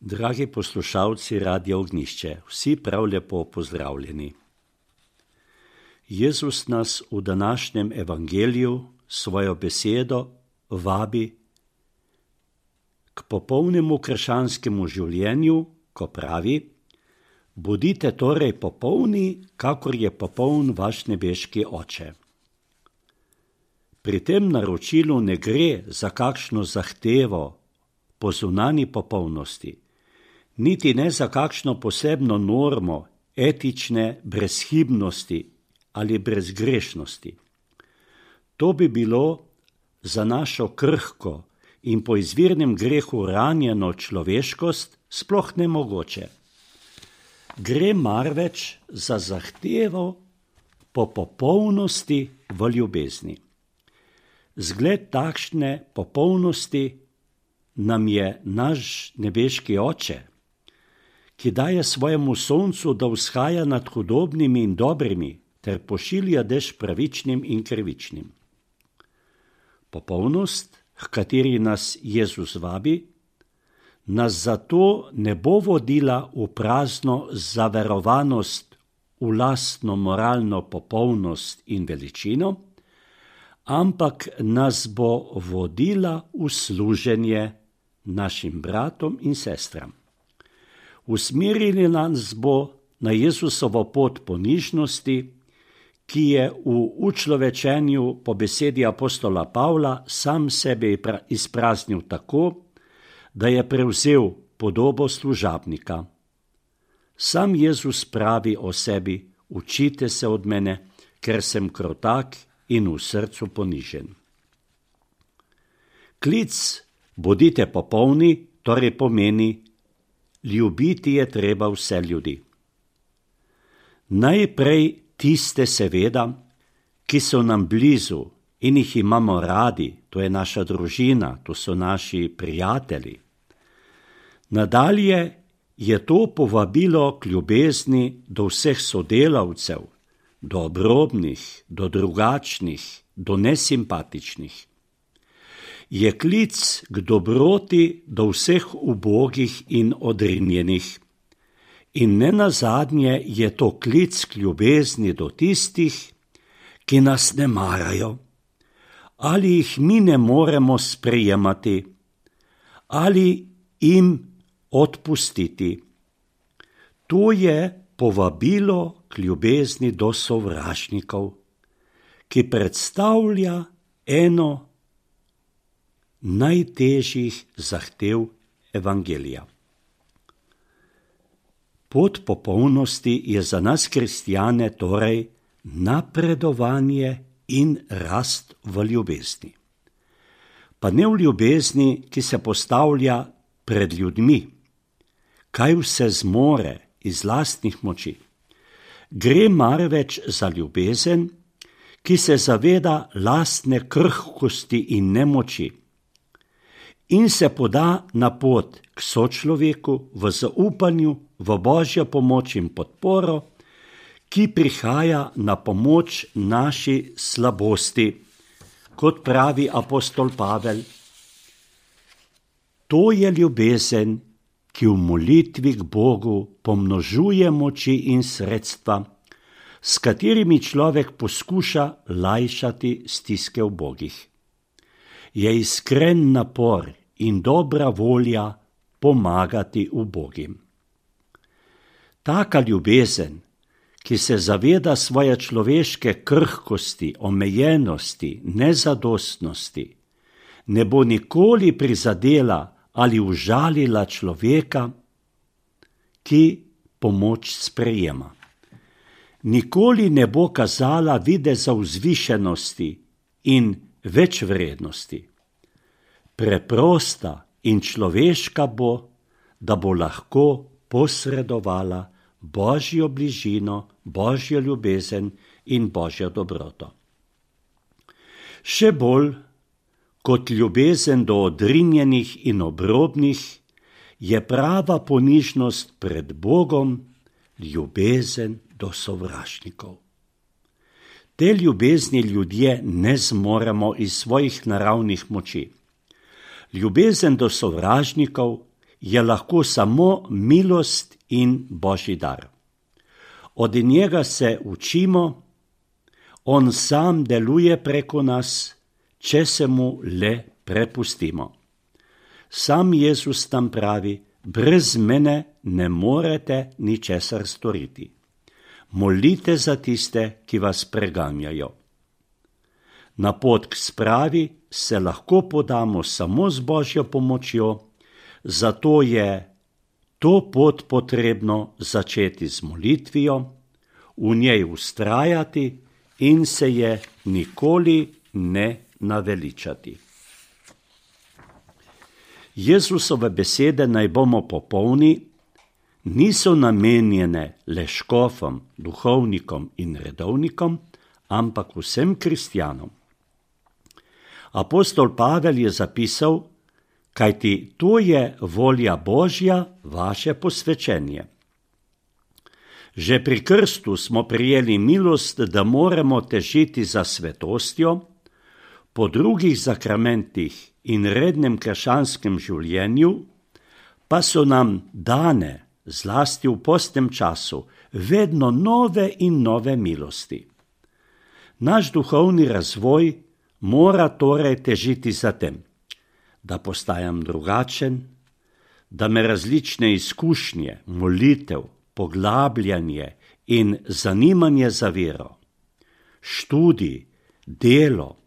Dragi poslušalci Radia Ognjišče, vsi prav lepo pozdravljeni. Jezus nas v današnjem evangeliju svojo besedo vabi k popolnemu krščanskemu življenju, ko pravi: bodite torej popolni, kakor je popoln vaš nebeški Oče. Pri tem naročilu ne gre za kakšno zahtevo po zunanji popolnosti, niti ne za kakšno posebno normo etične brezhibnosti ali brezgrešnosti. To bi bilo za našo krhko in po izvirnem grehu ranjeno človeškost sploh nemogoče. Gre marveč za zahtevo po popolnosti v ljubezni. Zgled takšne popolnosti nam je naš nebeški Oče, ki daje svojemu soncu, da vzhaja nad hudobnimi in dobrimi, ter pošilja dež pravičnim in krivičnim. Popolnost, h kateri nas Jezus vabi, nas zato ne bo vodila v prazno zaverovanost v lastno moralno popolnost in veličino, ampak nas bo vodila v služenje našim bratom in sestram. Usmerili nas bo na Jezusovo pot ponižnosti, ki je v učlovečenju po besedi apostola Pavla sam sebe izpraznil tako, da je prevzel podobo služabnika. Sam Jezus pravi o sebi: učite se od mene, ker sem krotak in v srcu ponižen. Klic bodite popolni torej pomeni: ljubiti je treba vse ljudi. Najprej tiste seveda, ki so nam blizu in jih imamo radi, to je naša družina, to so naši prijatelji. Nadalje je to povabilo k ljubezni do vseh sodelavcev, do obrobnih, do drugačnih, do nesimpatičnih. Je klic k dobroti do vseh ubogih in odrinjenih. In nenazadnje je to klic k ljubezni do tistih, ki nas ne marajo, ali jih mi ne moremo sprejemati, ali jim odpustiti. To je povabilo k ljubezni do sovražnikov, ki predstavlja eno najtežjih zahtev evangelija. Pot popolnosti je za nas kristjane torej napredovanje in rast v ljubezni. Pa ne v ljubezni, ki se postavlja pred ljudmi, kaj vse zmore iz lastnih moči. Gre marveč za ljubezen, ki se zaveda lastne krhkosti in nemoči in se poda na pot k sočloveku v zaupanju v Božjo pomoč in podporo, ki prihaja na pomoč naši slabosti, kot pravi apostol Pavel. To je ljubezen, ki v molitvi k Bogu pomnožuje moči in sredstva, s katerimi človek poskuša lajšati stiske ubogih. Je iskren napor in dobra volja pomagati ubogim. Taka ljubezen, ki se zaveda svoje človeške krhkosti, omejenosti, nezadostnosti, ne bo nikoli prizadela ali užalila človeka, ki pomoč sprejema. Nikoli ne bo kazala videza vzvišenosti in večvrednosti. Preprosta in človeška bo, da bo lahko posredovala Božjo bližino, Božjo ljubezen in Božjo dobroto. Še bolj kot ljubezen do odrinjenih in obrobnih je prava ponižnost pred Bogom ljubezen do sovražnikov. Te ljubezni ljudje ne zmoremo iz svojih naravnih moči. Ljubezen do sovražnikov je lahko samo milost in Božji dar. Od njega se učimo, on sam deluje preko nas, če se mu le prepustimo. Sam Jezus nam pravi, brez mene ne morete ničesar storiti. Molite za tiste, ki vas preganjajo. Na pot k spravi se lahko podamo samo z Božjo pomočjo, zato je to pot potrebno začeti z molitvijo, v njej vztrajati in se je nikoli ne naveličati. Jezusove besede naj bomo popolni niso namenjene le škofom, duhovnikom in redovnikom, ampak vsem kristjanom. Apostol Pavel je zapisal, kajti to je volja Božja, vaše posvečenje. Že pri krstu smo prijeli milost, da moramo težiti za svetostjo, po drugih zakramentih in rednem krščanskem življenju pa so nam dane, zlasti v postnem času, vedno nove in nove milosti. Naš duhovni razvoj mora torej težiti za tem, da postajam drugačen, da me različne izkušnje, molitev, poglabljanje in zanimanje za vero, študij, delo,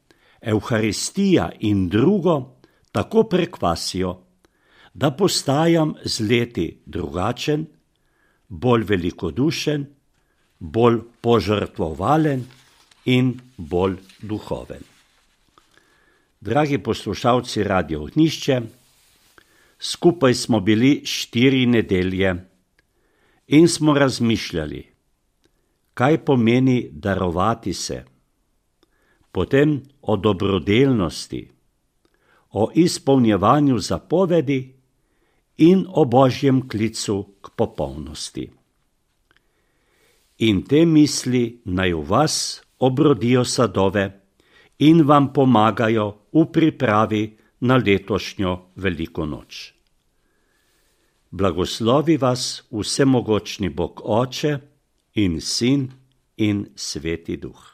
Evharistija in drugo tako prekvasijo, da postajam z leti drugačen, bolj velikodušen, bolj požrtvovalen in bolj duhoven. Dragi poslušalci Radio Ognjišče, skupaj smo bili 4 nedelje in smo razmišljali, kaj pomeni darovati se, potem o dobrodelnosti, o izpolnjevanju zapovedi in o Božjem klicu k popolnosti. In te misli naj v vas obrodijo sadove in vam pomagajo v pripravi na letošnjo veliko noč. Blagoslovi vas vsemogočni Bog Oče in Sin in Sveti Duh.